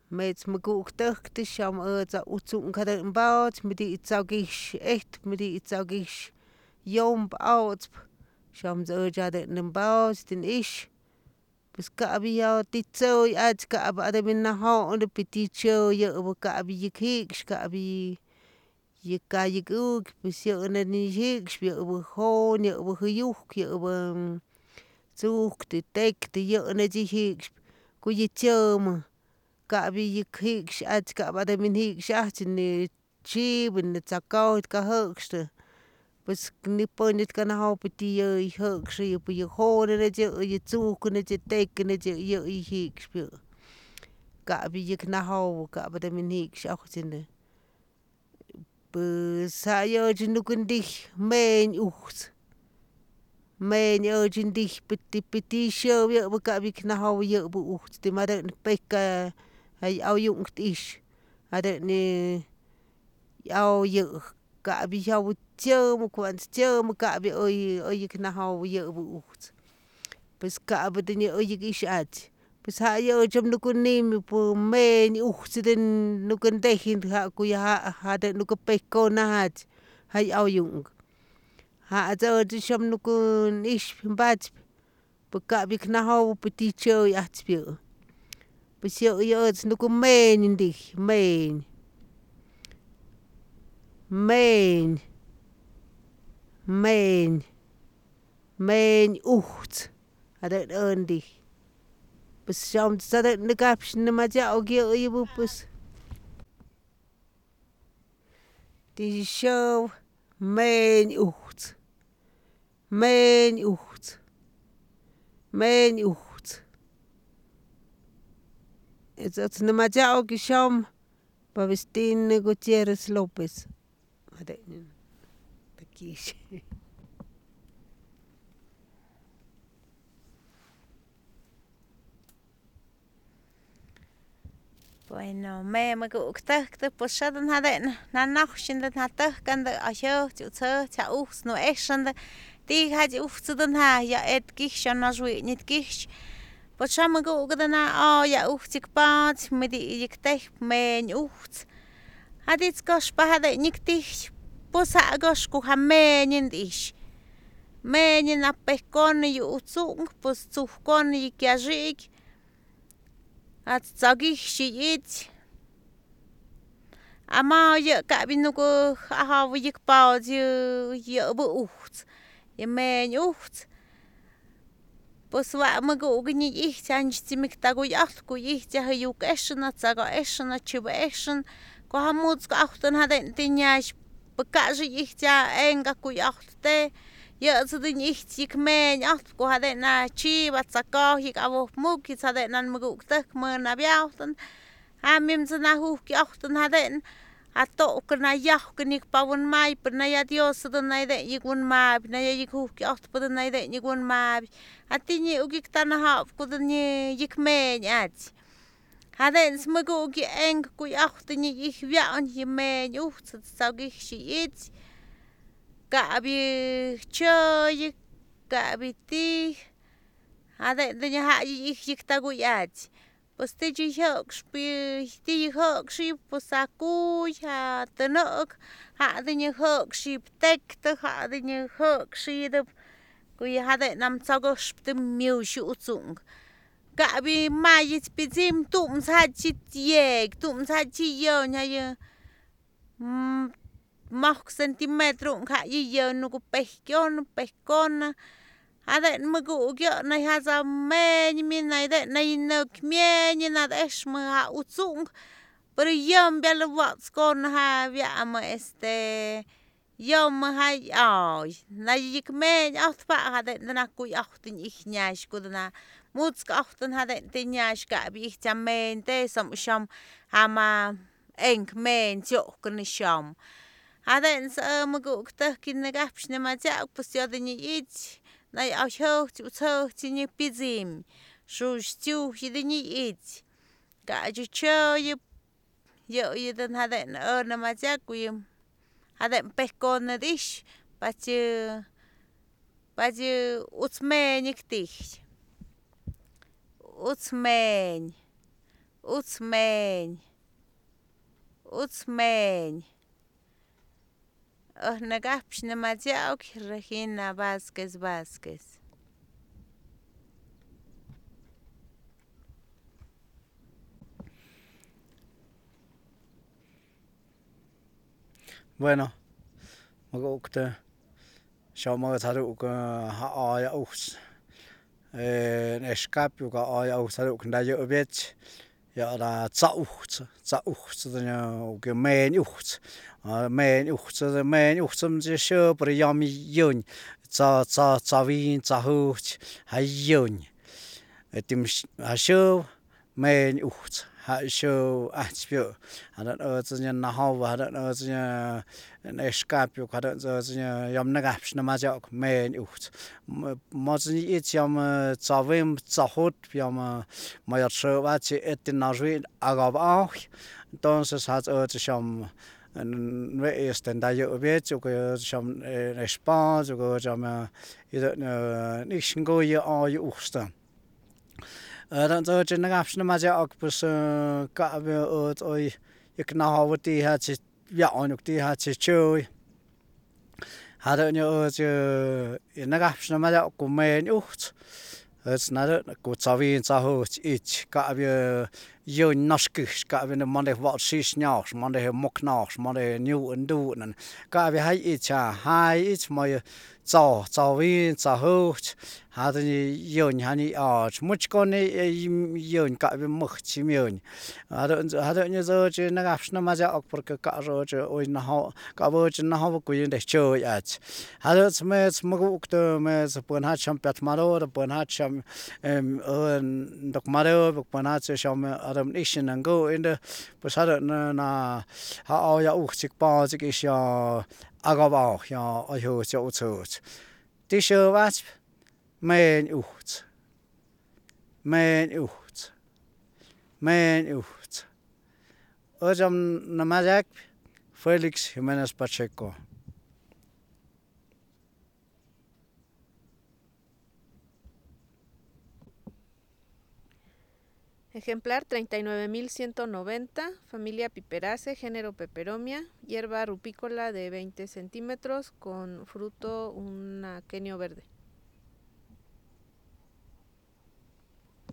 Mets me guuk tăhti sham ăța uțun care îmbaoți, me di țaugiș echt, me di țaugiș yomb auțp, sham zăja de îmbaoți din ish. Pues kabi ya titsoi ats kab adamin na ho de peticho ye kabi yikik kabi yikayik pues ye ne ni hik ye ho ye huyuk ye zuk de tek de ye ne hik ku yichom kabi yikik ats kab adamin hik shach ni chib ne tsakaut ka hokste pues ni ponit kana ho peti ye hokse ye pu ye ho ne ye zuk ne je tek ne je ye hik spio kabi yik na ho kabi adamin hik shach ne pues sayo jinukundich men uchts men yo jindich peti show ye kabi na ho ye bu uchts de mare peka ay au jungt ish ade ni au ye kabi jau chom kwant chom kabi oy na ho ye bu uchts pues kabi de ni oy ish at pues ha yo chom nukunim pu men uchts den nukundechin ha ku ya ha de nukupeko na hat hay au jung ha zo shom nukun ish bach pu kabi na ho peti cho ya spio pues yo nuku men dich men men men men uchts ade ondi pues sham sade nikapsh ne ma ja ogi ibu pues die show men uchts men uchts men uchts it's ne ma ja ogi sham Pavestín Gutiérrez López. Bueno, me guktahte pues shadan haden na nachshinde na tahkande asho tsu cha ups no eshande die hat uftsuden ha ja et gish na jwi nit gish pues sham gukdana ja uftsik pat mit die ikteh men ufts hat its gosh pa hade niktih pues ha gosh ku ha men ish men na pekon yu utsung pues tsukon yikyajik at tsagih shiyit ama ye kabi nuko ha yik pa ye bu uchts ye men uchts pues wa mago gni ich san stimik tago yacht ku ich ja yu keshna tsaga eshna chiba eshen ko hamuts ko achten haden tinyash bekaje ich ja enga ku yachte ye zudin ich tik men yacht ko haden na chiba tsaka hik avo muk haden nan mago tak man na biachten amim zna hu yachten haden ato kana yah knik pawon mai per na ya dios do na de yigun ma na ya yiku yacht per na de yigun ma atini ugik tana ha ko ni yikmen at haden smago gi eng ku yachten ich wian yemen ucht sag ich shit gabi choy gabi ti haden de ha ich yiktagu yat pues te jihok spi ti hok shi posaku ya tenok ha de ni hok shi tek te ha de ni hok shi de ku ya de nam tsago sp miu shu utsung gabi mai spizim tum sa chi yek tum sa chi yo nya ye mok centimetro ka ye no ku pekon Aden magu gyo na haza men min na de na nok mien na esh ma utsung pero yom bel wats kon ha via ma yom ha ay na yik men acht pa hade na ku achtin ich nyash ku na muts achten hade tin nyash ka bi ich men te som sham hama enk men jo kun sham aden sa magu ta kin na gapsh na ma ja pus yodni ich na asho tsu ni pizim shu stiu hidini it ga ju cho yo den haden na ma ja ku haden pekon na dish pachu utsmen iktih utsmen Utsmeñ. Nagapsh Namayauk, Regina Vázquez. Bueno, magukte shama taruk aya uks escape ga aya uks taruk ndayo bech ja da zaucht de gemein ucht mein ucht zum je per yami yun za win za hoch ha yun etim ha sho mein ucht ha sho atspio hadan öznya na hawa hadan öznya escape hadan öznya yam nagapsh na majak mein ucht mozni it yam zavim zahot yam mayat sho wat etin nazwi agab auch entonces hat sham we is den da yo vet yo sham response yo sham nicht go yo ay usta dan zo je nagapsh na majak pus ka be oi ik na hawti hat ja onuk ti hat choi hadan yo nagapsh na majak ku mein ucht het nader ku zavin zahoch ich ka be yo naskish ka be man de wat sis nyaas man de moknaas man de new en doen ka be hai ich hai ich moy zawin zahoch hadan yo hani much kon yo ka be moch chimyon hadan yo zo je nagapsh na majak porque ka ro je oi na ha ka bo je na ha ku yin de choi ach hadan smet maguk to me pon hat cham pet maro pon hat cham dok maro pon hat cham adam ishin and go in the pues hadan na ha ya uchik pa ik is ja agaba ja ayo jo tot die sho wat mein ucht ojam na majak Felix Jimenez Pacheco. Ejemplar 39.190, familia Piperaceae, género Peperomia, hierba rupícola de 20 centímetros con fruto un aquenio verde.